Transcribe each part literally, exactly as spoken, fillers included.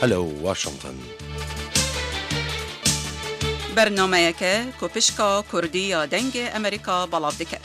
Hello Washington. Bernameyeke ku pişka Kurdî ya Dengê Amerîka belav diket.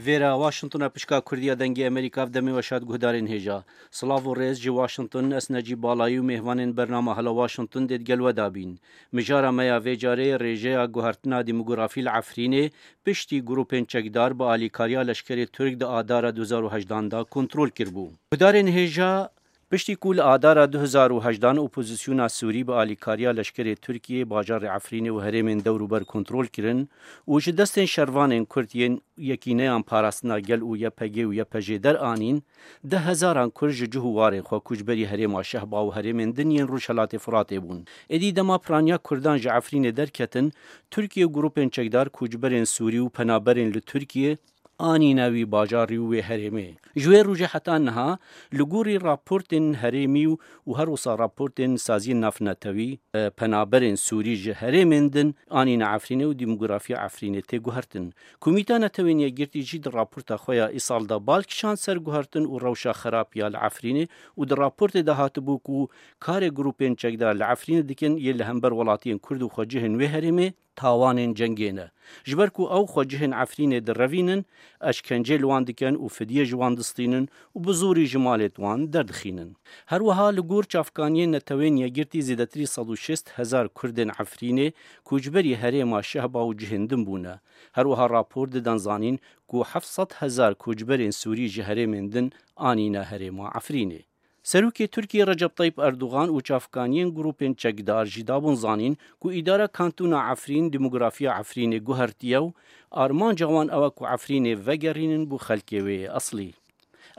Vêra Washington e, pişka Kurdî ya Dengê Amerîka, ev demê we şad guhdarên hêja. Silav û rêz ji Washington, ez Necîb Balayî û mêvanên bernama Hello Washington dê digel we de bîn. Mijara me ya vê carê rêjeya guhertina demografî li Efrînê piştî grûpên çekdar bi alîkariya leşkerê Tirk di Adara du hezar û hejdan de kontrol kiribû. Guhdarên hêja, piştî ku li Adara du hezar û hejdan opozisyona Sûrî bi alîkariya leşkerê Tirkiyê bajarê Efrînê û herêmên dewrûber kontrol kirin û ji destên şervanên Kurd yên Yekîneyan Parastina Gel û Y P G û Y P J deranîn, deh hezaran Kurd ji cih û warên xwe koçberî herêma Şehba û herêmên din yên Rojhelatê Firatê bûn. Êdî dema piraniya Kurdan ji Efrînê derketin, Tirkiye û grûpên çekdar koçberên Sûrî û penaberên li Tirkiye anîne wî bajarî û wê herêmê. Ji wê rojê heta niha, li gorî raportên herêmî û, û her wisa raportên saziyên navnetewî, e, penaberên Sûrî ji herêmên din anîne Efrînê û demografiya Efrînê tê guhertin. Komîta Netewên Yekgirtî jî di raporta xwe ya îsal de bal kişand ser guhertin û rewşa xerab ya li Efrînê û di raportê de hatibû ku karê grûpên çekdar li Efrînê dikin yê li hember welatiyên Kurd û xwecihên wê herêmê tawanên cengê ne. Ji ber ku ew xwecihên Efrînê direvînin, eşkencê li wan dikin û fidye ji wan distînin û bi zorî ji malêt wan derdixînin. Her wiha li gor çavkaniyên Netewên Yekgirtî zêdetirî sed û şêst hezar Kurdên Efrînê koçberî herêma Şehba û cihên din bûne. Her wiha rapor didin zanîn ku heft sed hezar koçberên Sûrî ji herêmên din anîne herêma Efrînê. Serokê Tirkiyê Recep Tayyip Erdogan û çavkaniyên grûpên çekdar jî dabûn zanîn ku îdara kantona Efrîn demografiya Efrînê guhertiye û armanca wan ew e ku Efrînê vegerînin bo xelkê wê yê eslî.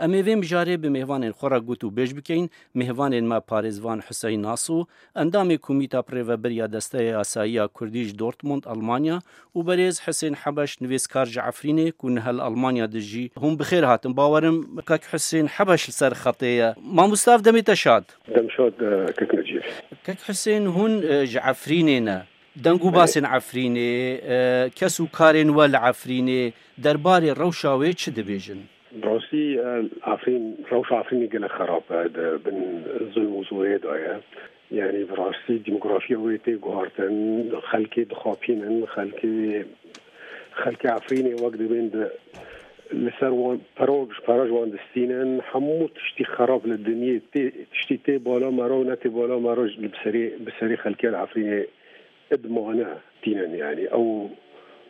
Em ê vê mijarê bi mêvanên xwe re gotûbêj bikeyin. Mêvanên me parêzvan Huseyn Naso, endamê Komîta Birêvebir ya Desteya Yasayî ya Kurdî ji Dortmund, Almanya, û berêz Hisên Hebeş, nivîskar ji Efrînê ku niha li Almanya dijî. Hûn bi xêr hatin. Bawerim kek Hisên Hebeş li ser xetê ye. Mamoste, ev demê te şad. Dem şad, e, kek Necîb. Kek Hisên, hûn, e, ji Efrînê ne. Deng û Belê. Basên Efrînê, e, kes û karên we li Efrînê, derbarê rewşa wê çi dibêjin? Bi rastî, e, Efrîn, rewşa Efrînê gelek xerab e, di bin zulm û zorê de ye. Yanî bi rastî demografiya wê tê guhartin, xelkê dixapînin, xelkê, xelkê Efrînê wek dibên di, li ser wan pere, ji pere ji wan distînin, hemû tiştî xerab li dinyê tê, tiştî tê bala me re û ne tê bala me re li bi serê, bi serê xelkê li Efrînê id mane tînin, yanî ew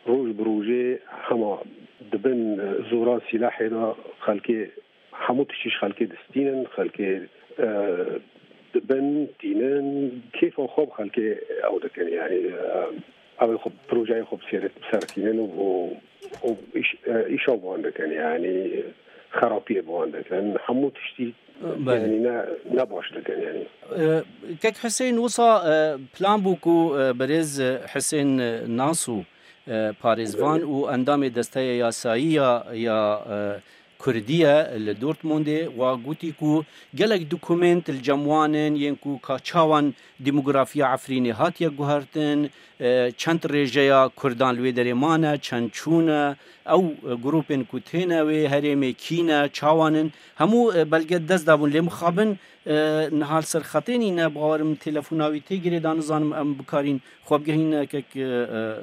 roj bi rojê hema dibin zora sîlahê de xelkê, hemû tiştî ji xelkê distînin, xelkê, e, dibin, tînin, kêfa xwe bi xelkê ew dikin, yanî, e, ew ê xwe, projeyê xwe bi ser, bi ser tînin û, û, û îş, e, îşa bi wan dikin, yanî xerapiyê bi wan dikin. Hemû tiştî, Belê. Yanî ne, ne baş dikin, yanî. E, Kek Husên, wisa, e, plan bû ku, e, berêz, e, Husên, e, Naso, e, parêzvan Belê. Û endamê Desteya Yasayî ya, ya, e, Kurdî ye li Dortmundê, wa gotî ku gelek dokument li cem wan in, yên ku ka çawan demografiya Efrînê hatiye guhertin, e, çend rêjeya Kurdan li wê derê mane, çend çûne, ew, e, grûpên ku têne wê herêmê kî ne, çawan in, hemû, e, belge dest dabûn. Lê mixabin, e, niha li ser xetê nîne, bawerim telefona wî tê girêdan, nizanim em bikarîn xwe bigehîne kek, e, e,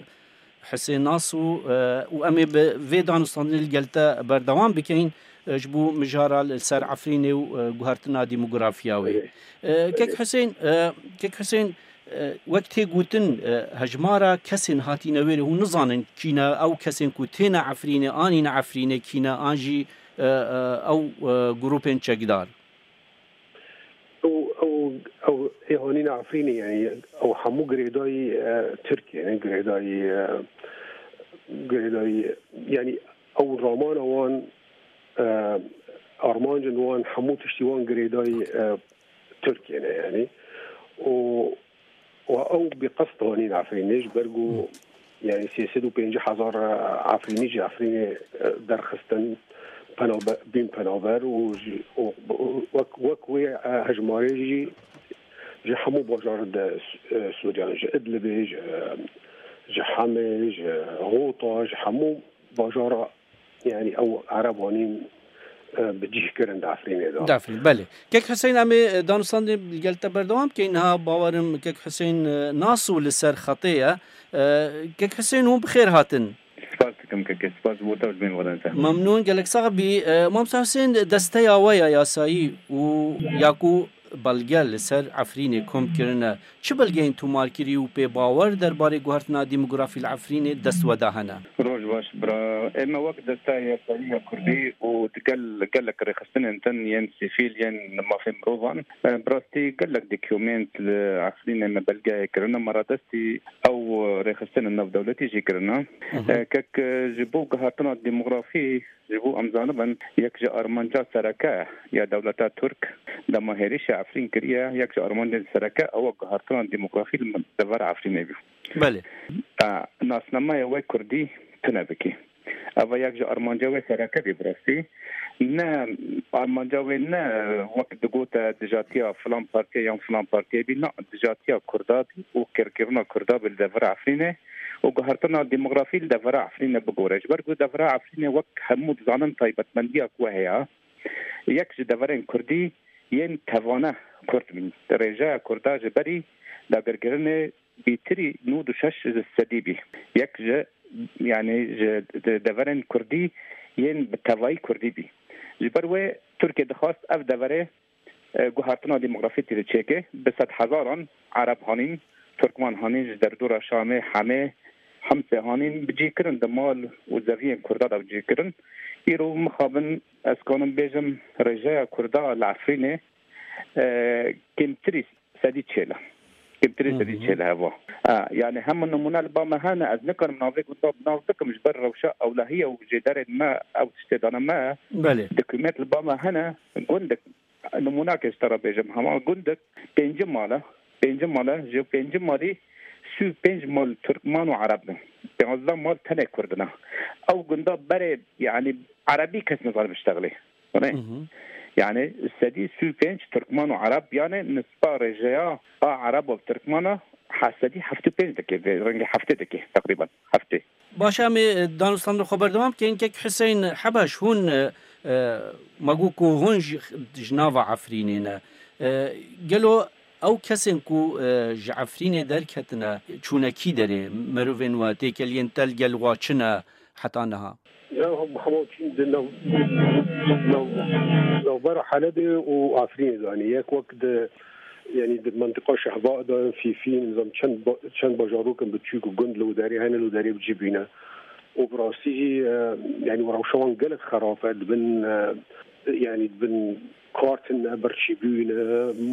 Hisên Naso, e, û em ê bi vê danûstandinê li gel te berdewam bikeyin, e, ji bo mijara li ser Efrînê û, e, guhertina demografiya wê. Belê. E, Kek Belê. Hisên, e, Kek Hisên, e, wek tê gotin, e, hejmara kesên hatîne wêrê, hûn nizanin kî ne, ew kesên ku têne Efrînê, anîne Efrînê kî ne, an jî, e, e, ew, e, grûpên çekdar? Ew, ew, ew ê hanîna Efrînê, yanî ew hemû girêdayî, e, Tirkiyê ne, girêdayî, e, girêdayî, yanî ew ramana wan, e, armancên wan, hemû tiştî wan girêdayî, e, Tirkiyê ne, yanî. Û, û ew bi qest hanîn Efrînê, ji ber ku, yanî sê sed û pêncî hezar Efrînî ji Efrînê, e, derxistin, penabe-, bîn penaber û ji, û, û wek, wek wê, e, hejmarê jî ji hemû bajar de, e, Sûriyan, ji Idlibê, ji, ji Hemê, ji Ghûta, ji hemû bajara, yanî ew Ereb anîn, e, bi cih kirin di Efrînê de. Dafrîn, belê. Kek Huseyîn, em ê, e, danûstandê li gel te berdewam bikeyn. Niha bawerim Kek Huseyîn, e, Naso li ser xetê ye. E, Kek Huseyîn, hûn bi xêr hatin. Spas dikim kekê, spas bo te û ji bin xwe te. Memnûn, gelek sax bî. E, Mamosta Huseyîn, desteya we ya yasayî û ya ku belge li ser Efrînê kom kirine, çi belgeyên tomarkirî û pê bawer derbarê guhertina demografî li Efrînê dest we de hene? Roj baş, bira. Ê me wek desteya yasayî ya Kurdî û di gel, gelek rêxistinên din yên sivîl, yên mafê mirovan, e, bi rastî gelek dokument li Efrînê me belgeyê kirine, me radestî ew rêxistinên navdewletî jî kirine. Hı hı. E, kek, e, ji bo guhertina demografî, ji bo em zanibin, yek ji armanca sereke ya dewleta Tirk dema hêrişa Efrîn kiriye, yek ji armancên sereke ew guhertina demografî li devera Efrînê bî. Belê. E, nasnameya wê Kurdî tune bikî. Eva yek ji armanca wê sereke bî bi rastî. Ne, armanca wê ne wek digote dijatiya filan partiyê yan filan partiyê bî, na, dijatiya Kurda bî û kêrkirina Kurda bî li devera Efrînê û guhertina demografî li devera Efrînê bigore. Ji ber ku devera Efrînê wek hemû dizanin taybetmendiya ku heye, yek ji deverên Kurdî yên tevane Kurd bîn. Rêjeya Kurda ji berî dagirkirinê bêtirî nod û şeş ji sedî bî. Yek ji, yanî ji de-, deverên Kurdî yên bi tevayî Kurdî bî. Ji ber wê Tirkiye dixwast ev deverê, e, guhertina demografî tê de çêke. Bi sedhezaran Ereb hanîn, Tirkman hanîn, ji derdora Şamê, Hemê, Himsê hanîn, bi cî kirin di mal û zeviyên Kurda de bi cî kirin. Îro mixabin ez kanim bêjim rêjeya Kurda li Efrînê, e, kêmtirî sedî çêl e. Kêmtirî Hı hı. sedî çêl e heva. Ha, yani hema nimûne li ba me hene, ez nikarim navê gunda bi nav bikim, ji ber rewşa ewlehiye û jêderên me, ew tiştê dane me, Belê. Dokument li ba me hene, gundik, nimûnakê ji te re bêjim, hema gundik pêncî mal e, pêncî mal e, ji pêncî malî sî û pênc mal Tirkman û Ereb ne. Pênzdeh mal tenê Kurd ne. Ew gunda berê, yani Erebî kes nizane biştexilê. Hı hı. Yani sedî sî û pênc Tirkman û Ereb, yani nisba rêjeya a Ereb û Tirkmana ha sedî heftê û pênc dike, vê rengê heftê dike, teqrîben heftê. Baş, em ê danûstandina xwe berdewam bikin. Kek Huseyîn Hebeş, hûn, e, e, me got ku hûn ji, ji nava Efrînê ne. E, gelo ew kesên ku, e, ji Efrînê derketine, çûne kî derê? Mirovên we, têkeliyên te li gel wa çi ne heta niha? Ya, hema çîn di nav, nav, navbera Helebê û Efrînê de, yanî yek wek di, yanî di mentiqa Şehba de, Fîfîn, nizam çend ba-, çend bajarok in biçûk û gund li wê derê hene, li wê derê bi cî bîne. Û bi rastî jî, e, yanî rewşa wan gelek xerab e, dibin, e, yanî dibin kar tune, birçîbûyî ne,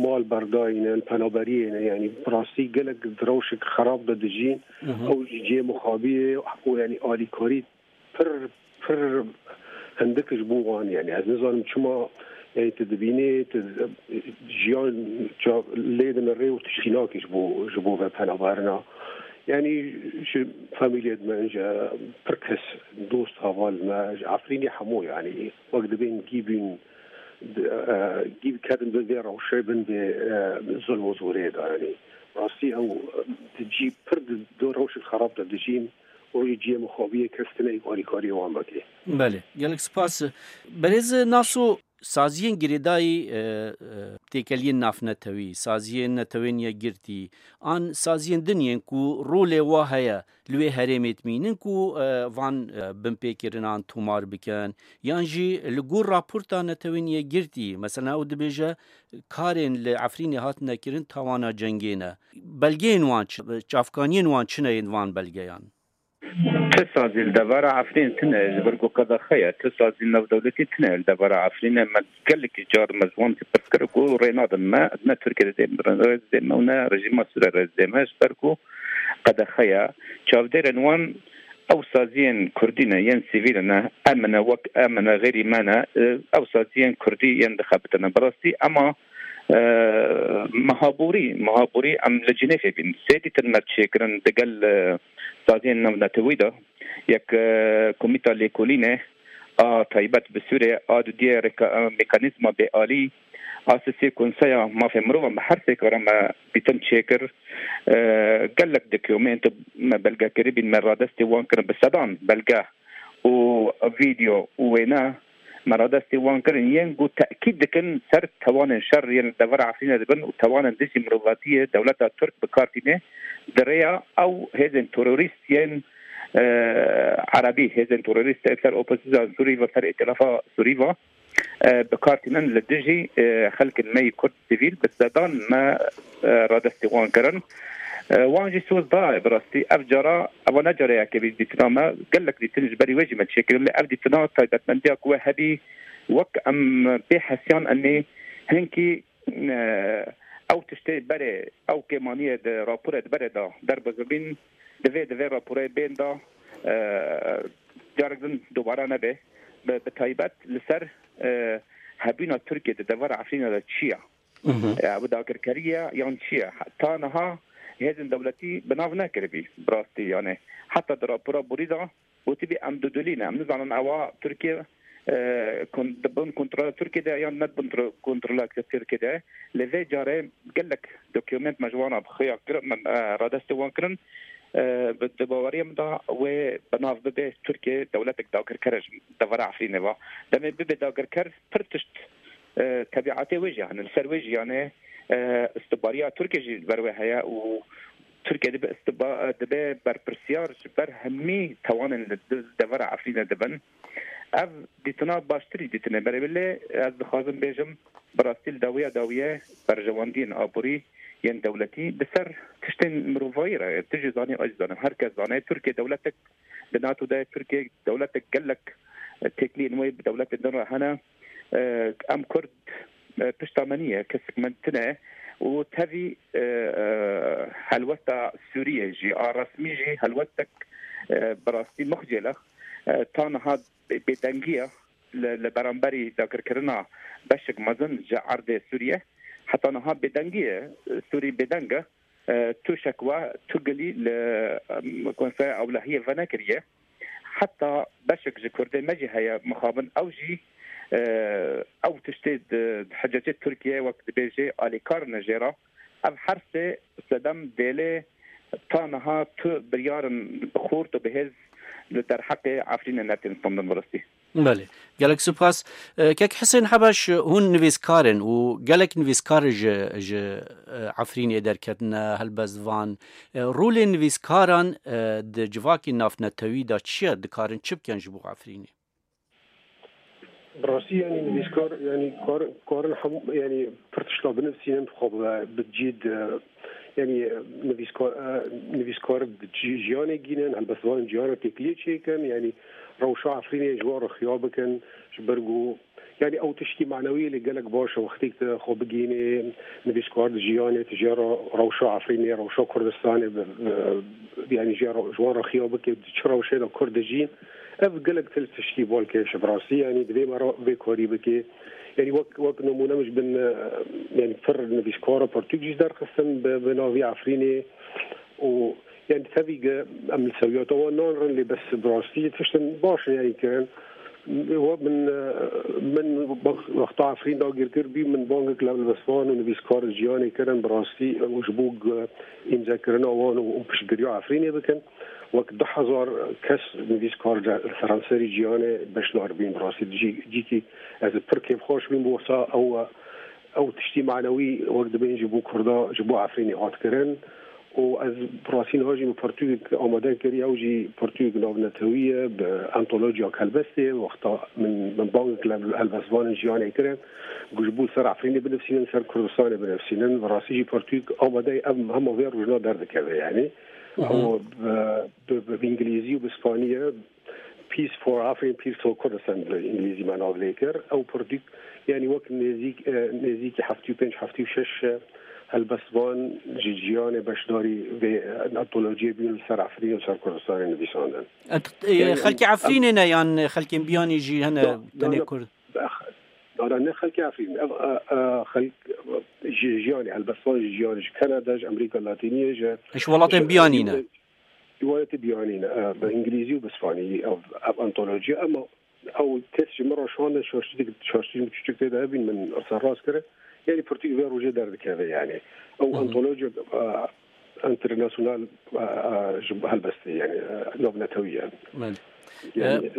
mal berdayî ne, li penaberiyê ne, yanî bi rastî gelek di rewşek xerab de dijîn. Hı hı. Ew jî cihê mixabiyê û yanî alîkarî pir, pir hindik ji bo wan, yani ez nizanim çima, yani tu dibînî, tu jiyan ca-, lê dinirê û tu şînakî ji bo, ji bo ve penaberina. Yani ji famîliyê me, ji pir kes, dost heval me, ji Efrînê hemû, yani wek dibên gî bûn, di, e, gî ketin bin vê rewşê, bin vê, e, zulm û zorê de, yani. Rastî ew, e, di cî pir di, di rewşek xerab de dijîn. Rojê cihê mixabiyê kes tune alîkariyê wan vekê. Belê, gelek spas. Berêz Naso, saziyên girêdayî, e, e, têkeliyên navnetewî, saziyên Netewên Yekgirtî, an saziyên din yên ku rolê wa heye li wê herêmê dimînin ku, e, van, e, binpêkirinan tomar bikin, yan jî li gor raporta Netewên Yekgirtî, mesela ew dibêje karên li Efrînê hatine kirin tawana cengê ne. Belgeyên wan çi, çavkaniyên wan çi ne yên van belgeyan? Ti sazî li devera Efrîn tune, ji ber ku qedexe ye, ti sazî navdewletî tune li devera Efrînê. Me gelekî car me ji wan jî pirs kir ku rê nadin me, ne Tirkiye didê, rê didê me û ne rejîma Sûriyê rê didê me, ji ber ku qedexe ye. Çavdêrên wan ew saziyên kurdî ne, yên sivîl ne, em ne, wek em ne, xêrî me ne, ew saziyên kurdî yên dixebitine. Bi rastî ema, e, meha borî, meha borî em li Cinêfê bîn. Sê dîtin me çêkirin digel, e, saziyên navnetewî de, yek, e, komîta lêkolînê, a taybet bi Sûriyê a dudiyê reka-, mekanîzma bêalî a sisê Konseya Mafê Mirovan bi her sê kara me dîtin çêkir. E, gelek dokumento me belge kiribîn, me radestê wan kirin bi sedan belge û vîdeo û wêne me radestê wan kirin, yên ku tekîd dikin ser tewanên şer yên li devera Efrînê dibin û tewanên dijî mirovatiyê dewleta Tirk bi kar tîne di rêya ew hêzên terorîst yên, e, erebî, hêzên terorîst li ser opozîsya Sûrî ve, ser îtilafa Sûrî ve, e, bi kar tînin li dijî, e, xelkên me yê Kurd sivîl bi sedan me, e, radestê wan kirin. E, wan jî soz daye bi rastî. Ev cara, eva ne cara yekê bî dîtina me, gelek dîtin ji berî wê jî me çêkirin, lê ev dîtina taybetmendiya ku we hebî, wek em pê hesiyan enê hinkî, e, ew tiştê berê, ew kêmaniyê di raporê di berê de derbazibîn, divê, divê raporê bên de, e, carek din dobara nebe. Bi, bi taybet li ser, e, hebûna Tirkiye di devera Efrînê de çi ye? Mhm. E, ew dagirkerî ye yan çi ye? Ta niha hêzên dewletî bi nav nekiribî, bi rastî, yani, heta di rapora borî de gotibî, em dudilî ne, em nizanin ewa Tirkiye, e, kon-, di bin kontrola Tirkiye de yan ne di bin tro-, kontrola Tirkiye de. Lê vê carê gelek dokument me ji wan re bi xuya kir-, me, e, radestê wan kirin. E, bi, di baweriya min de wê bi nav bibe Tirkiye dewletek dagirker e ji devera Efrînê ve. Demê bibe dagirker, pir tişt, e, tebiatê wê jî hene, li ser wê jî, yani, e, istibariya Tirkiye jî li ber wê heye û Tirkiye dibe istiba-, dibe berpirsiyar ji ber hemî tewanên li di-, devera Efrînê dibin. Ev dîtina baştirî dîtinê berê, lê ez dixwazim bêjim, bi rastî li dawiya dawiyê berjewendiyên aborî yên dewletî di ser tiştên mirovayî re ye. Tu jî zanî, ez jî zanim, her kes zane, Tirkiye dewletek di NATO de ye, Tirkiye dewletek gelek, e, têkiliyên wê bi dewletên din re hene. E, em Kurd, e, pişta me nîye, kesek me tune û tevî, e, e, helwesta Sûriyê jî, a resmî jî helwestek, e, bi rastî mixcêlex, e, ta niha bê-, bêdengî ye li, li beramberî dagirkirina beşek mezin ji erdê Sûriyê. Heta niha bêdengî ye, Sûrî bêdeng e. E, tu şekwa, tu gilî li, em, Konseya Ewlehiyê venekiriye. Heta beşek ji Kurdê me jî heye mixabin, ew jî, e, ew tiştê di, di hicecê Tirkiye wek dibêjê alîkar ne jê re. Ev her sê sedem dêlê ta niha tu biryarin xurt û bihêz li derheqê Efrînê netin standin bi rastî. Belê. Gelek spas. E, Kek Hisên Hebeş, hûn nivîskar in û gelek nivîskar ji, ji, e, Efrînê derketine, helbestvan. E, rolê nivîskaran, e, di civakî navnetewî de çi ye? Dikarin çi bikin ji bo Efrînê? Bi rastî, yani, nivîskar, yani, kar-, karin hemû, yani, pir tişta binivîsînin, xwe bi, bi cî di, yani, nivîskar, e, nivîskar di cî-, jiyanê gînin, helbestvanên cîhana têkiliyê çêkin, yani, rewşa Efrînê ji wan re xiya bikin, ji ber ku, yani, ew tiştî manewî lê gelek baş e, wextê ku xwe bigihînê, nivîskar di jiyanê, tu jê re rewşa Efrînê, rewşa Kurdistanê, bi, bi, yani, jê re, ji wan re xiya bike, di çi rewşê de Kurd dijîn, ev gelek til tiştî balkêş e, bi rastî, yani, divê me re vê karî bike. Yani, wek, wek nimûne min ji bin, e, yani, pir nivîskara pirtûk jî derxistin bi, bi navî Efrînê û, yani, tevî ge em li sewiyata wan nanrin, lê bes bi rastî tiştin baş in, yani, kirin. Wek min, e, min wex-, wexta Efrîn dagirkir bî, min bangek li helbestvan û nivîskar jiyanê kirin, bi rastî, û ji bo ge-, îmzekirina wan û, û piştgiriya Efrînê bikin. Wek du hezar kes nivîskar li seranserî cîhanê beşdar bîn. Bi rastî cî-, cîkî ez pir kêfxweş bîm, bo wisa ew, ew tiştî manewî wek dibên ji bo Kurda, ji bo Efrînê hat kirin. Û ez bi rastî niha jî min pirtûkek amade kiriye, ew jî pirtûkek navnetewî ye, bi antolojiya helbestê, wexta min, min bangek li helbestvanên cîhanê kirin, ku ji bo ser Efrînê binivîsînin, ser Kurdistanê binivîsînin. Bi rastî jî pirtûk amade ye, ev hema vê rojna derdikeve, yani. Mhm. Ew bi, bi, bi, bi îngilîzî û bi spanî ye. Peace for Afrin, Peace for Kurdistan, bi îngilîzî me nav lê kir. Ew pirtûk, yani, wek nêzîk, e, nêzîkî heftê û pênc, heftê û şeş, e, helbestvan ji cîhanê beşdarî vê, e, antolojiyê bûn, li ser Efrîn û ser Kurdistanê nivîsandin. E, t-, e, Yani, xelkê em, em Efrînê ne yan xelkên biyanî jî hene, No, no, tenê no. Kurd? Ex-, no, no, ne xelkê Efrîn. Ev, e, e, xelk, e, ji, jiyanê, helbestvan ji jiyanê, ji Kanada, ji Amerîka Latîniyê, ji, Ji welatên ji, biyanî ne? ji welatê biyanî ne, e, bi îngilîzî û bi spanî, ev, ev antoloji, ama Ew kes ji min re şande şaştî, şaştî min çûçik tê de hebîn min serrast kire. Yanî pirtûk vê rojê derdikeve yanî. Ew Hı hı. antolojik, e, internasyonal, e, e, ji helbestê yanî, e, navnetewî ye. Belê. Yanî, E,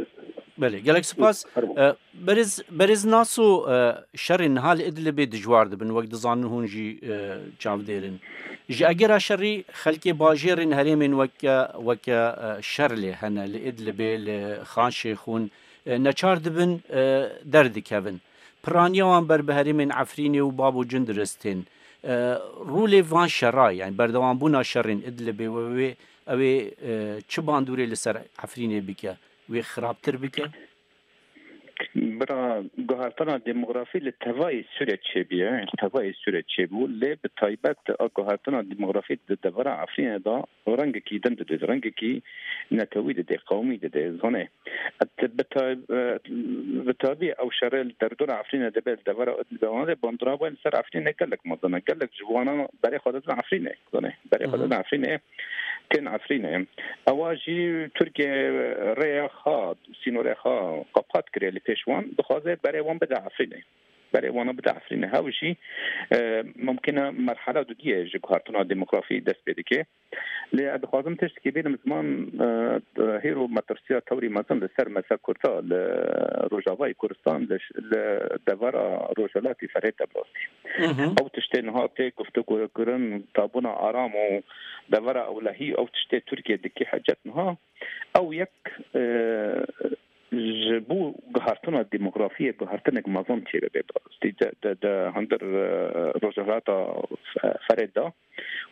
belê, gelek spas. Fermo. E, Berêz, Berêz Naso, e, şerên niha li Idlibê dijwar dibin, wek dizanin hûn jî, e, çavdêr in. Ji egera şerî xelkê bajêrên herêmên weke, weke, e, şer lê hene li Idlibê, li Xan Şêxûn, e, neçar dibin, e, derdikevin. Piraniya wan ber bi herêmên Efrînê û Bab û Cindiris tên. E, rûlê van şera, yani berdewambûna şerên Idlibê we wê, ew ê, e, çi bandorê li ser Efrînê bike? Wê xirabtir bike? Bira, guhertina demografî li tevayê Sûrê çêbûye, li tevayê Sûrê çêbû, lê bi taybet a guhertina demografî di devera Efrînê de rengekî din dide, rengekî netewî dide, qewmî dide, zanê. Et bi tay-, bi tabî ew şerê li derdora Efrînê dibe, li devera Idlibê wan de bandora wê li ser Efrînê gelek mezin e. Gelek ji wana berê xwe didin Efrînê, zanê. Berê xwe Hı hı. didin Efrînê, tên Efrînê. Ewa jî Tirkiye rêya xwe, sînorê xwe qepat kiriye li pêş wan, dixwaze berê wan bide Efrînê. Berê wana bide Efrînê. Hew jî, e, mumkin e merhala dudiyê ji guhertina demografî dest pê dike. Lê ez dixwazim tiştekî bînim ziman, e, hêro metirsiya tewrî mezin li ser mesela Kurda li Rojavayê Kurdistan, li, li devera Rojhilatî Ferê de bi rastî. Hı hı. Ew tiştê niha tê guftûgokirin, tabûna aram û devera ewlehî, ew tiştê Tirkiye dike hecet niha. Ew yek, e, ji bo guhertina demografiyê guhertinek mezin çêbibe bi rastî. De, de, de hundir, e, Rojhilata Fe-, Ferê de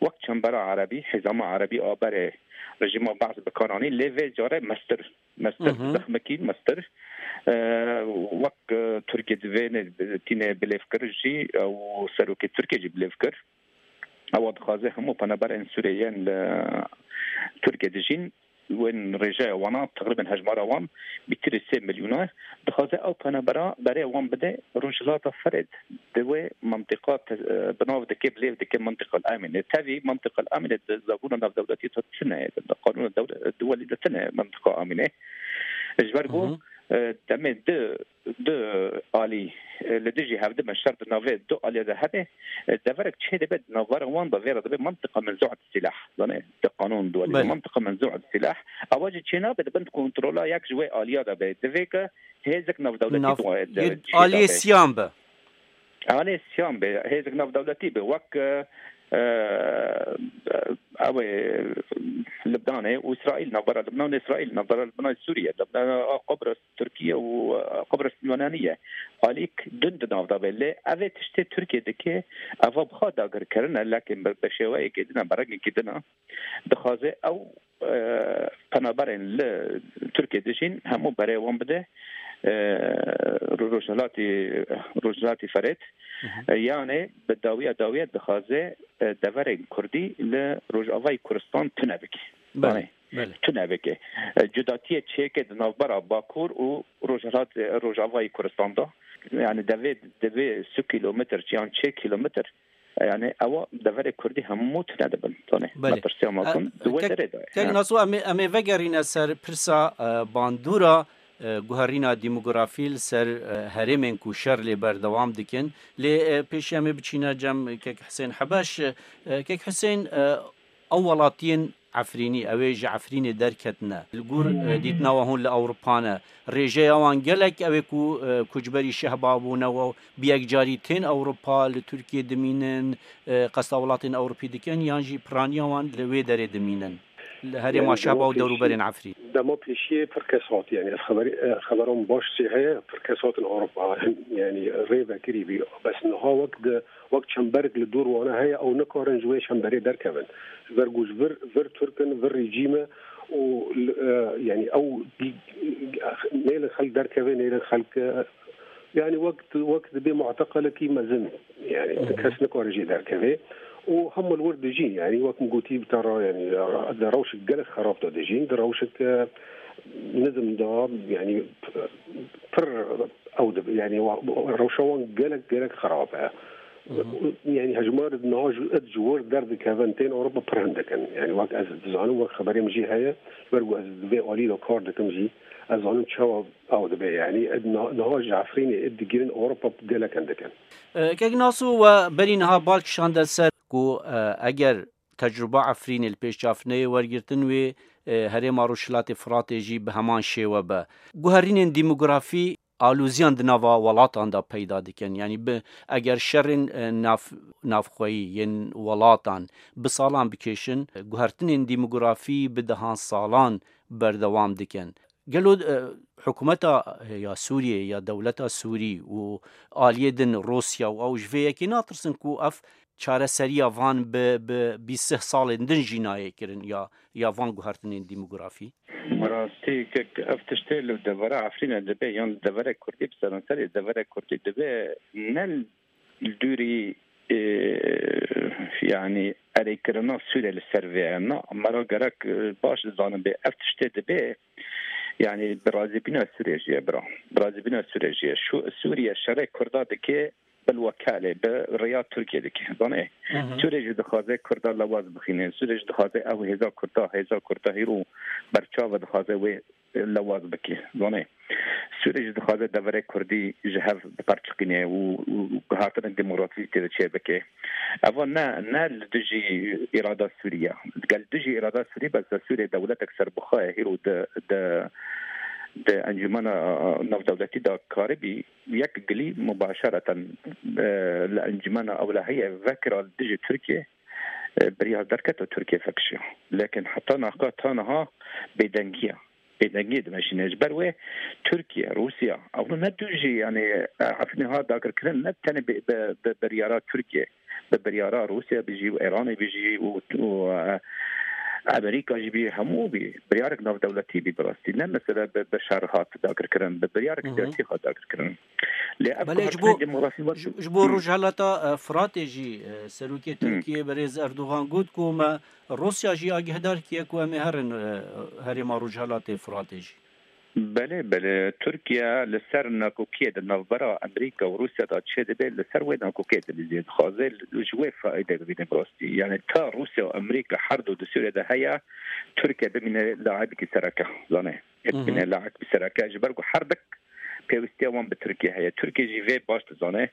wek çembera erebî, hizama erebî a berê rejîma Baas bi kar anî, lê vê carê mestir, mestir, Hı hı. zexmekî mestir, e, wek, e, Tirkiye divê ne, tîne bilêvkir jî, ew serokê Tirkiye jî bilêv kir. Ewa dixwaze hemû penaberên Sûriyê yên li Tirkiye dijîn, wên rêjeya wana, teqrîben hejmara wan bîtir sê milyona, dixwaze ew penabera berê wan bide Rojhilata Ferê. Di wê mentiqa te-, bi nav dike, bilêv dike Mentiqa Amînê. Tevî Mentiqa Amînê di zabûna navdewletî de tune ye, di qanûna dewle-, duwelî de tune ye Mentiqa Amînê. Ji ber ku, Hı hı. e, demê di du alî, e, li dijî hevdibin, şer di navê du alî de hebe, e, deverek çê dibe di navbera wan de, vê re dibe mentiqa menzu'et silah. Zanê, di qanûn duwelî de Belê. mentiqa menzu'et silah. Ewa jî çê nabe di bin kontrola yek ji wê aliya de be. Divê ke hêzek navdewletî Nav-, duwa-, de yê çê aliyê dabe. Siyan be. Aliyê siyan be, hêzek navdewletî be. Wek, e, e, ew ê Libnanê û Îsraîl, navbera Libnan û Îsraîl, navbera Libnan û Sûriye, navbera Qobris, Tirkiye û, e, Qobris Yunaniye. Alîk din di nav de be. Lê ev ê tiştê Tirkiye dike, eva bi xwe dagirkirin e, lekin bi, bi şêweyekê din e, bi rengekê din e. Dixwaze ew, e, penaberên li Tirkiye dijîn hemû berê wan bide, e, Rojhilatî, Rojhilatî Ferêt. Hı hı. E, yanê bi dawiya dawiya dixwaze, e, deverên Kurdî li Rojavayê Kurdistan tune bike. Belê. Yanê, Belê. tune bike. E, cudatiyê çêke di navbera Bakur û Rojhilat, Rojavayê Kurdistan de. Yani devê, devê sî kilometr yan çê kilometr, yani ewa deverê Kurdî hemû tune dibin. Tone. Belê. Metirsiya E, mezin di wê kek, derê de ye. Kek Ha. Naso, em ê, em ê vegerîne ser pirsa, e, bandora, e, guherîna demografî li ser, e, herêmên ku şer lê berdewam dikin. Lê, e, pêşî em ê biçîne cem Kek Hisên Hebeş. E, Kek Hisên, e, Ew welatiyên Efrînî, ew ê ji Efrînê derketine. Li gor, e, dîtina we hûn li Ewropa ne. Rêjeya wan gelek ew ê ku, e, koçberî şehba bûne û bi yekcarî tên Ewropa, li Tirkiyê dimînin, e, qesta welatên Ewropî dikin, yan jî piraniya wan li wê derê dimînin? Li herêma Yani, şehba dema û dewrûberên pêşî, Efrîn. Dema pêşiyê pir kes hat, yani, ez xeberî, e, xebera min baş jî heye, pir kes hatin Ewropa. Hem, yani, rê vekirî bî. Bes niha wek di wek çemberek li dor wana heye, ew nikarin ji wê çemberê derkevin. Ji ber ku ji vir, vir Tirk in, vir rejîm e û li, e, yanî ew nêlin xelk derkeve, nêlin xelk, e, yanî wek, wek dibê muteqelekî mezin, yanî Hı hı. kes nikare jê derkeve. Û hema li wir dijîn, yanî wek min gotî bi te re, yanî di rewşek gelek xerab de dijîn, di rewşek, e, nizm de, yanî pir ew dibe, yanî wa-, rewşa wan gelek, gelek xerab e. Mhm. Yani hejmar niha ji, id ji wir derdikevin tên Ewropa pir hindik in. Yani wek ez dizanim, wek xeberê min jî heye, ji ber ku ez di vê alî de kar dikim jî, ez zanim çawa ew dibe. Yani id niha, niha ji Efrînê id digirin Ewropa gelek hindik in. E, Kek Naso, we berî niha bal kişande ser ku, e, eger tecruba Efrînê li pêş çav neyê wergirtin, wê, e, herêma Rojhilatê Firatê jî bi heman şêwe be. Guherînên demografî alûziyan di nava welatan de peyda dikin. Yanî bi, eger şerên, e, nav-, navxweyî yên welatan bi salan bikêşin, guhertinên demografî bi dehan salan berdewam dikin. Gelo, e, hikûmeta, e, ya Sûriyê ya dewleta Sûrî û aliyê din Rûsya û ew ji vê yekê natirsin ku ev çareseriya van bi, bi bîst sih salên din jî nayê kirin ya, ya van guhertinên demografî? Bi rastî, kek ev tiştê li devera Efrînê dibe yan li devera Kurdî, bi seranserê devera Kurdî dibe, ne li dûrî, e, yanî erêkirina Sûriyê li ser vê ye. Na, me re gerek, e, baş dizanin bê ev tiştê dibe, yanî bi razîbîna Sûriyê jî ye, bira. Bi razîbîna Sûriyê jî ye. Şu, Sûriye şerê Kurda dike, bilwekalê bi rêya Tirkiyê dike. Zanê, Hı hı. Sûriyê jî dixwaze Kurda lewaz bixîne. Sûriyê jî dixwaze ew hêza Kurda, hêza Kurda hîro berçav e, dixwaze wê lewaz bike. Zanê, Sûriyê jî dixwaze deverê Kurdî ji hev biperçiqîne û, û guhertinên demografî tê de çêbike. Eva ne, ne li dijî îrada Sûrî ye. Gel dijî îrada Sûrî be, Sûriyê dewletek serbixwe ye, hîro di, di, di encûmena navdewletî de karibî, yek gilî mubaşereten, e, li encûmena ewlehiyê vekira li dijî Tirkiyê, e, biryar derket û Tirkiye vekişiya. Lekin heta niha, ta niha bêdengî ye. Bêdengiyê dimeşîne. Ji ber wê Tirkiye, Rûsya, ew ne du jî, yanî, e, Efrînê ha dagirkirin ne tenê bi, bi, bi biryara Tirkiye, bi biryara Rûsya bijî û Îranê bijî û, û, e, Amerîka jî bî, hemû bî, biryarek navdewletî bî bi rastî. Ne mesele bi, bi şer hat dagirkirin, bi biryarek Hı hı. siyasî hat dagirkirin. Lê ev Belê ji guhertinên bo, demografî wek ji, ji bo Hı. Rojhelata, e, Firatê jî, e, Serokê Hı. Tirkiyê berêz Erdogan got ku me Rûsya jî agîhdar kiye ku em ê herin, e, herêma Rojhelatê Firatê jî. Belê, belê. Tirkiye li ser nakokiyê di navbera Amerîka û Rûsya de çêdibe, li ser wê nakokiyê dilîzê, dixwaze ji wê faîde bibîne bi rastî. Yani ta Rûsya û Amerîka her du di Sûriyê de heye, Tirkiye bimîne laibekî sereke, zanê. Hı hı. Bimîne laibekî sereke, ji ber ku her dik pêwistiya wan bi Tirkiye heye. Tirkiye jî vê baş dizane,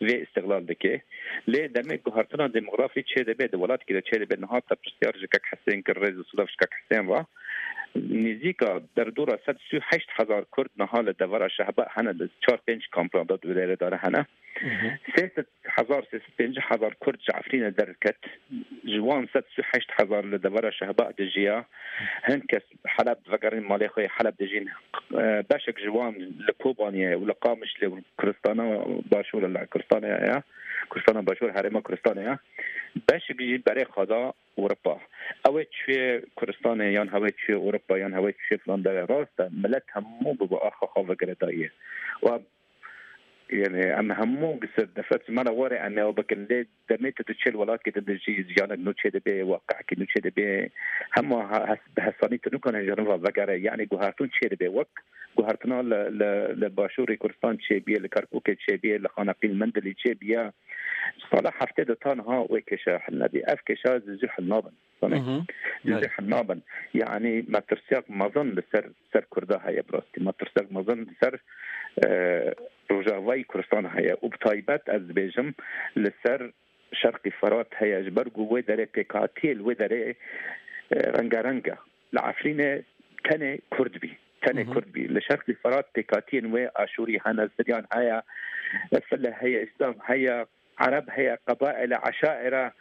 vê îstiqlal dike. Lê demê guhertina demografî çêdibe, di welatekî de çêdibe, niha te pirsyar ji kek Hesên kir, rêz û silav ji kek Hesên ve. Nêzîka derdora sed sî û heşt hezar Kurd niha li devera Şehba hene, li çar pênc kampan de di wê derê de hene. Hı hı. Sê sed hezar, sê sed pêncî hezar Kurd ji Efrînê derket. Ji wan sed sî û heşt hezar li devera Şehba dijiya. Hin kes Heleb vegerin malê xwe yê Heleb dijîn. E, beşek ji wan li Kobaniyê û li Qamişlê û Kuristana Başûr, li Kuristana ya, Kuristana Başûr, Herêma Kuristana ya. Beşek jî berê xwe da Ewropa. Ew ê çûyê Kuristanê yan hew ê çûyê Ewropa yan hew ê çûyê filan derê, rast e, milet hemû bi, bi axa xwe ve girêdayî ye. Û em, yani, em hemû ser defet ji me re were em ê ew bikin. Lê demê tu diçe li welatkê tu dijî, jiyanek nû çêdibe, waqeyekî nû çêdibe. Hema he-, hes-, bi hesanî tu nikane ji herin ve vegere. Yani guhertin çêdibe. Wek guhertina li, li, li Başûrê Kurdistan çêbiye, li Kerkûkê çêbiye, li Xaneqîn Mendilî çêbiye. Sala heftê de ta niha wê kêşa hel nebî. Ev kêşa zû zû hel nabin. Hı hı. Zû zû hel nabin. Yani metirsiyek mezin li ser, ser Kurda heye bi rastî. Metirsiyek mezin li ser, e, Rojavayî Kurdistan heye. Û bi taybet ez dibêjim li ser Şerqî Firat heye. Ji ber ku wê derê pêkhatiyê li wê derê, e, rengareng e. Li Efrînê tenê Kurd bî. Tenê Hı hı. Kurd bî. Li Şerqî Firat pêkhatiyên wê Aşûrî hene, Siryan heye, File heye, Îslam heye, Ereb heye, qebaîle, eşaîre,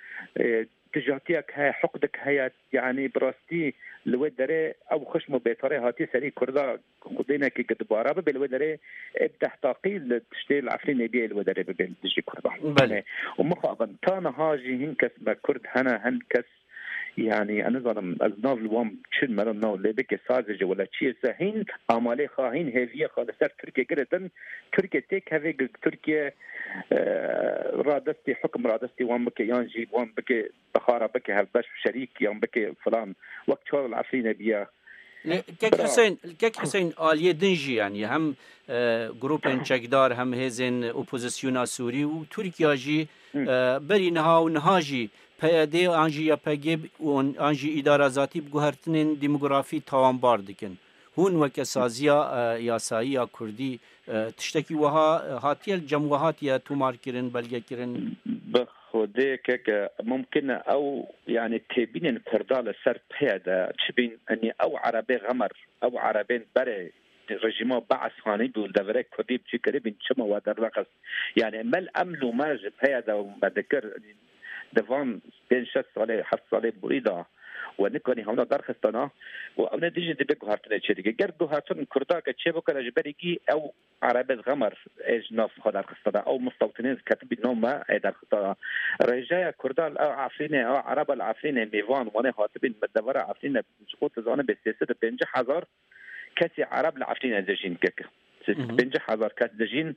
e, dijatiyek heye, hiqdek heye. Yanî bi rastî li wê derê ew xişm û bêtarê hatiye serî Kurda, xwedênekê ki dibara bibe li wê derê, ê bi deh taqî li tiştê li Efrînê biyê li wê derê bibe li dijî Kurda. Belê. Û mixabin, ta niha jî hin kes me Kurd hene, hin kes, yanî, ez nizanim, ez nav li wan çi, me re nav lê bike, sazê ji wele çi ye se, hîn amalê xwe, hîn hêviyê xwe li ser Tirkiye girêdin. Tirkiye têkeve, gi-, Tirkiye, e, radestî, hukum radestî wan bike, yan jî wan bike, bixara bike hevbeş, şerîk, yan bike filan. Wek çawa li Efrînê biya. Lê kek Hüseyin, kek Hüseyin aliyê din jî, yanî hem, e, grûpên çekdar, hem hêzên opozisyona Sûrî û Tirkiya jî, Hı. e, berî niha û niha jî P Y D an jî Y P G û an jî îdara zatî bi guhertinên demografî tawanbar dikin. Hûn weke saziya, e, yasayî ya Kurdî, e, tiştekî wiha, e, hatiye li cem we hatiye tomar kirin, belge kirin? Bi Xwedê keke mumkin e ew, yanî têbînên Kurda li ser P Y D çi bîn, enî ew erebê xemer, ew erebên berê rejîma Be'es hanî bû, li deverê Kurdî bi çi kiribîn, çima we dernexist? Yanî me li em lûme ji P Y D me dikir, di van pênc şeş salê, heft salê borî de we nikanî hewna derxistana û ew ne dijî dibe guhertinê çêdike. Ger guhertin Kurda ke çêbikare ji berî kî ew erebê xemer ê ji nav xwe derxistana, ew mistewtinên ketibî nav me ê derxistana. Rêjeya Kurda li Efrînê, ew ereba li Efrînê mêvan, wanê hatibîn me devera Efrînê, ji xwe tu zanibê sê sed û pêncî hezar kesê ereb li Efrînê dijîn keke. Sê sed û pêncî hezar kes dijîn,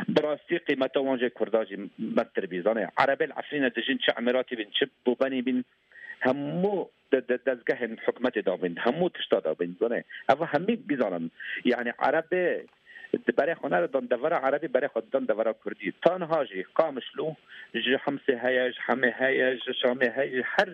bi rastî qîmeta wan jê Kurda jî mestir bî. Zanê, erebê li Efrînê dijîn, çi Emiratî bîn, çi Bobenî bîn, hemû de, de, dezgehên hikûmetê dabîn, hemû tişta dabîn. Zanê, ev hemî bizanin. Yanî erebê di berê xwe nedidan, devera erebî berê xwe didan devera Kurdî. Ta niha jî Qamişlo ji Himsê heye, ji Hemê heye, ji Şamê heye, ji her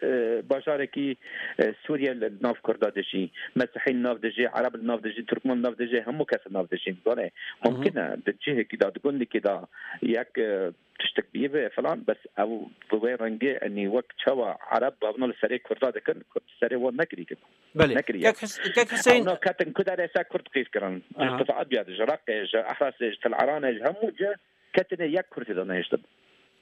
e, bajarekî, e, Sûriye li nav Kurda dijî, Mesihî li nav dijî, Ereb li nav dijî, Turkmen li nav dijî, hemû kes li nav dijîn. Zanê, Hı hı. mumkin e di cihekî de, di gundekî de yek, e, tiştek bî ve falan, bes ew bi wê rengê, enî wek çawa Ereb bavna li serê Kurda dikin, Kurd serê wan nekirî kin. Belê. Nekiriye. Kek Hus-, Kek Hüseyin Hewna ketin ku derê ser Kurd qîz kirin. Ji Aha. Tifadiya, ji Reqê, ji Ehresê, ji Til Eranê, ji hemû cih ketine yek kursî de nehiştin.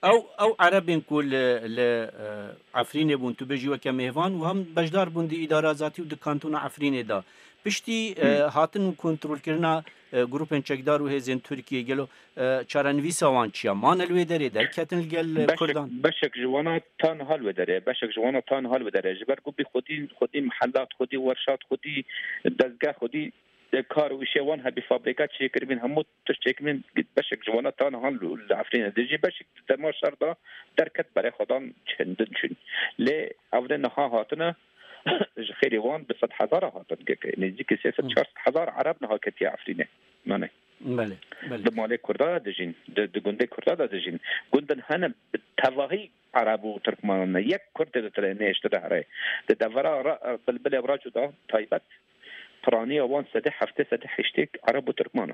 Ew, ew Erebên ku li, li, e, Efrînê bûn, tu bêjî weke mêvan û hem beşdar bûn di îdara zatî û di kantona Efrînê de. Piştî, e, Hı. hatin û kontrolkirina, e, grûpên çekdar û hêzên Tirkiyê, gelo, e, çarenivîsa wan çi ya? Mane li wê derê, derketin li gel, e, Beşek, Kurdan? Beşek ji wana ta niha li wê derê, beşek ji wana ta niha li wê derê. Ji ber ku bî xwedî, xwedî mihelat, xwedî werşat, xwedî dezgeh, xwedî, e, kar û îşê wan hebî, fabrîka çêkiribîn, hemû tişt çêkiribîn, beşek ji wana ta niha li, li Efrînê dijî, beşek di dema şer de derket, berê xwe dan çendin çûn. Lê ev ne niha hatine, ji xêrê wan bi sed hezara hatin, nêzîkî sê sed Hı. çar sed hezar Ereb niha ketiye Efrînê. Mane. Belê, belê. Di malê Kurda de dijîn, di, di gundê Kurda de dijîn. Gundin hene bi tevahî Ereb û Tirkmanan ne. Yek Kurd tê di tirê nehiştine here. Di devera ra-, Bilbilê Raco de taybet, piraniya wan sedê heftê, sedê heştê Ereb û Tirkman e.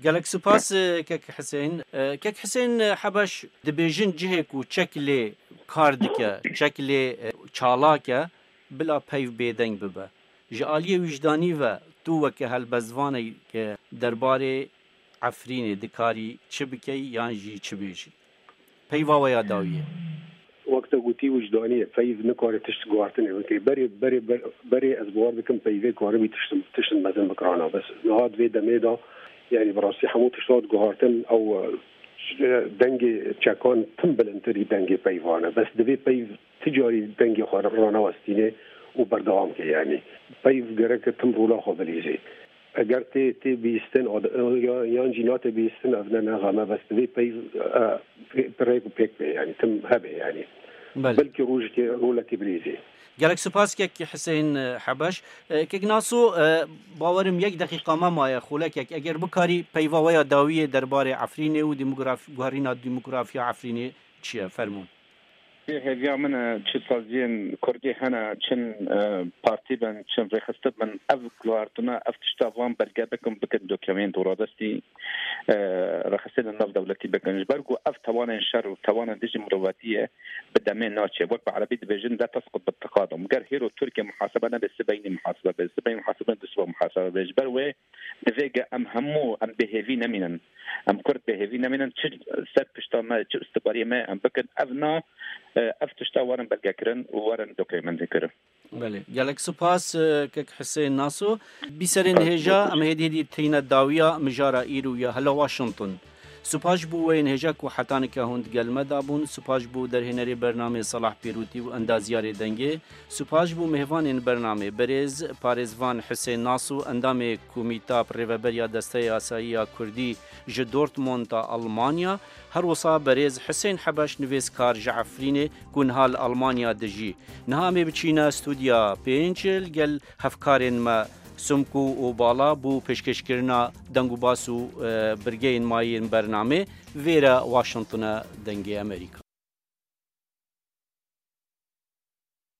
Gelek spas, e, Kek Hüseyin. E, Kek Hüseyin, e, Hebeş, dibêjin cihê ku çek lê kar dike, çek lê, e, çalak e, bila peyv bêdeng bibe. Ji aliyê wijdanî ve tu weke helbestvaneke derbarê Efrînê dikarî çi bikey yan jî çi bêjî? Peyva we ya dawiyê. Wek te gotî, wijdanî ye. Peyv nikare tişt guhartinê bike. Berê, berê, ber-, berê ez bawer dikim peyvê karibî tişt, tişt mezin bikirana. Bes niha di vê demê de, yanî bi rastî hemû tişt hat guhartin, ew, e, dengê çekan tim bilindtirî dengê peyvan e. Bes divê peyv ti carî dengê xwe ranewestînê û berdewam ke, yanî. Peyv gerek tim rola xwe bilîzê. Eger tê, tê bihîstin, ad-, ya, yan jî nate bihîstin, ev ne, ne xem e, bes divê peyv, e, pê-, rêk û pêk be, yanî tim hebe, yanî. Belê. Belkî rojekê rolekê bilîzê. Gelek spas kek Hüseyin, e, Hebeş. E, kek Naso, e, bawerim yek deqîqa me maye, xulekek. Eger bikarî peyva we ya dawiyê derbarê Efrînê û demograf-, guherîna demografiya Efrînê çi ye? Fermûn. Hêviya min e, çi saziyên Kurdî hene, çin, e, partî bin, çin rêxistin bin, ev guhartina, ev tişta van belge bikin, bikin dokument û radestî, e, rêxistinên nav dewletî bikin. Ji ber ku ev tawanên şer û tawanên dijî mirovatî ye, bi demê naçe. Wek bi erebî dibêjin, "La tesqut bi teqadum." Ger hêro Tirkiye muhasebe nebe, sibeynî muhasebe be, sibeynî muhasebe nebe, siba muhasebe be. Ji ber wê divê ge em hemû em bêhêvî nemînin. Em Kurd bêhêvî nemînin. Çi ser pişta me, çi îstixbariyê me em bikin. Ev na, e, ev tişta werin belgekirin û werin dokumentekirin. Belê. Gelek spas, e, kek Hüseyin Naso. Bîserên Spas. Hêja, em hêdî hêdî tîne dawiya mijara îro ya hela Washington. Supaş bû weyên hêja ku heta nika hûn di gel me de bûn. Supaş bû derhênerê bernamê Salah Pêrûtî û endazyarê dengê. Supaş bû mêvanên bernamê berêz parêzvan Husên Nas û endamê Komîta Rêveberiya Desteya Asayî ya Kurdî ji Dortmunda Almanya. Her wisa berêz Husên Hebeş nivêskar ji Efrînê ku niha li Almanya dijî. Niha em ê biçîne stûdya pênc li gel hevkarên me Sumku û Bala bo pêşkêşkirina deng û bas û, e, birgeyên mayî yên bernamê. Vêre Washington e, Dengê Amerîka.